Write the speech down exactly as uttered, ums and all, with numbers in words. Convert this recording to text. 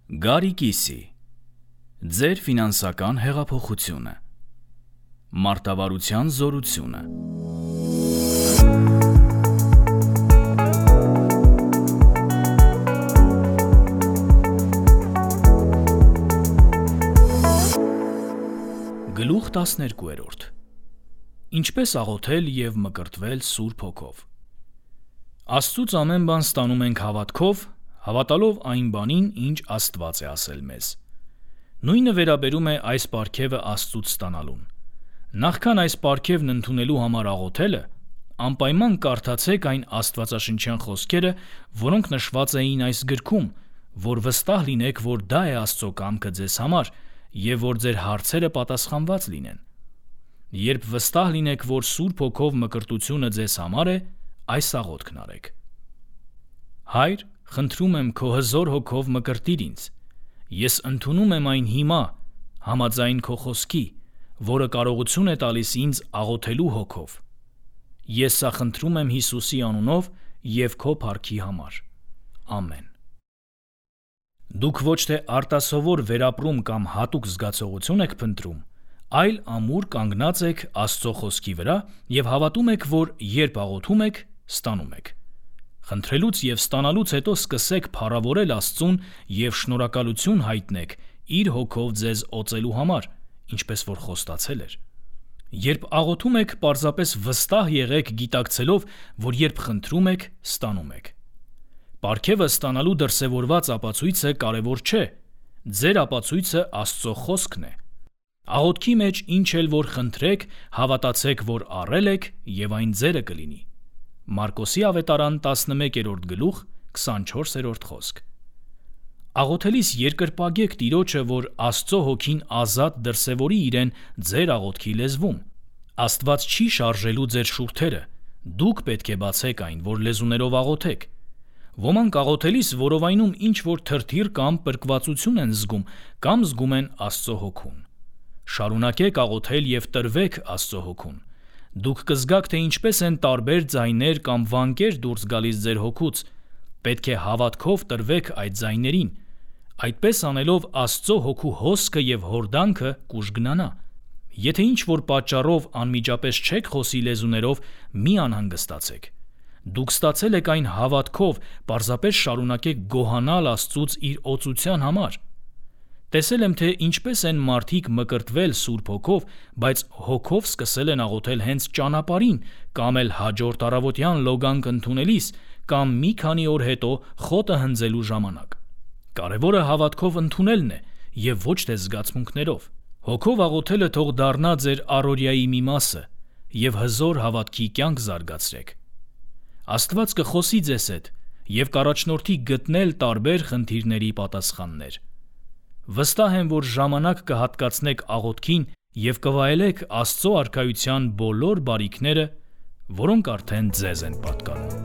Գարի կիսի, ձեր ֆինանսական հեղափոխությունը, մարտավարության զորությունը։ Գլուխ տասներկուերորդ. Ինչպես աղոթել և մկրտվել Սուրբ Հոգով։ Աստծուց ամեն բան ստանում ենք հավատքով, հավատալով այն բանին, ինչ Աստված է ասել մեզ։ Նույնը վերաբերում է այս պարգևը Աստծուց ստանալուն։ Նախքան այս պարգևն ընդունելու համար աղոթելը, անպայման կարդացեք այն աստվածաշնչյան խոսքերը, որոնք նշված էին այս գրքում, որ վստահ լինեք, որ դա է Աստծո կամքը ձեզ համար և որ ձեր հարցերը պատասխանված լինեն։ Երբ վստահ լինեք, որ Սուրբ Հոգով մկրտությունը ձեզ համար է, այս աղոթքն արեք. Հայր, խնդրում եմ քո հզոր հոգով մկրտիր ինձ։ Ես ընդունում եմ այն հիմա, համաձայն քո խոսքի, որը կարողություն է տալիս ինձ աղոթելու հոգով։ Ես սա խնդրում եմ Հիսուսի անունով և քո փառքի համար։ Ամեն։ Դուք ոչ թե արտասովոր վերապրում կամ հատուկ զգացողություն եք փնտրում, այլ ամուր կանգնած եք Աստծո խոսքի վրա և հավատում եք, որ երբ աղոթում եք, ստանում եք։ Խնդրելուց և ստանալուց հետո սկսեք փառավորել Աստծուն և շնորհակալություն հայտնեք իր հոգով ձեզ օծելու համար, ինչպես որ խոստացել էր։ Երբ աղոթում եք, պարզապես վստահ եղեք գիտակցելով, որ երբ խնդրում եք, ստանում եք։ Պարգևը ստանալու դրսևորված ապացույցը կարևոր չէ, ձեր ապացույցը Աստծո խոսքն է։ Աղոթքի մեջ ինչ էլ որ խնդրեք, հավատացեք, որ առել եք և այն ձերը կլինի։ Մարկոսի ավետարան տասնմեկերորդ գլուխ քսանչորսերորդ խոսք։ Աղոթելիս երկրպագեք Տիրոջը, որ Աստծո հոգին ազատ դրսևորի իրեն ձեր աղոթքի լեզվում։ Աստված չի շարժելու ձեր շուրթերը, դուք պետք է բացեք այն, որ լեզուներով աղոթեք։ Ոմանք աղոթելիս որովայնում ինչ-որ թրթիռ կամ պրկվածություն են զգում կամ զգում են Աստծո հոգուն։ Շարունակեք աղոթել և տրվեք Աստծո հոգուն։ Դուք կզգաք, թե ինչպես են տարբեր ձայներ կամ վանկեր դուրս գալիս ձեր հոգուց։ Պետք է հավատքով տրվեք այդ ձայներին։ Այդպես անելով Աստծո հոգու հոսքը և հորդանքը կուժգնանա։ Եթե ինչ-որ պատճառով անմիջապես չեք խոսի լեզուներով, մի անհանգստացեք։ Դուք ստացել եք այն հավատքով, պարզապես շարունակեք գոհանալ Աստծուց իր օծության համար։ Տեսել եմ, թե ինչպես են մարդիկ մկրտվել Սուրբ Հոգով, բայց հոգով սկսել են աղոթել հենց ճանապարհին, կամ էլ հաջորդ առավոտյան լոգանք ընդունելիս, կամ մի քանի օր հետո խոտը հնձելու ժամանակ։ Կարևորը հավատքով ընդունելն է և ոչ թե զգացմունքներով։ Հոգով աղոթելը թող դառնա ձեր առօրյայի մի մասը և հզոր հավատքի կյանք զարգացրեք։ Աստված կխոսի ձեզ հետ և կառաջնորդի գտնել տարբեր խնդիրների պատասխաններ։ Վստահ եմ, որ ժամանակ կհատկացնեք աղոթքին և կվայելեք Աստծո արքայության բոլոր բարիքները, որոնք արդեն ձեզ են պատկանում։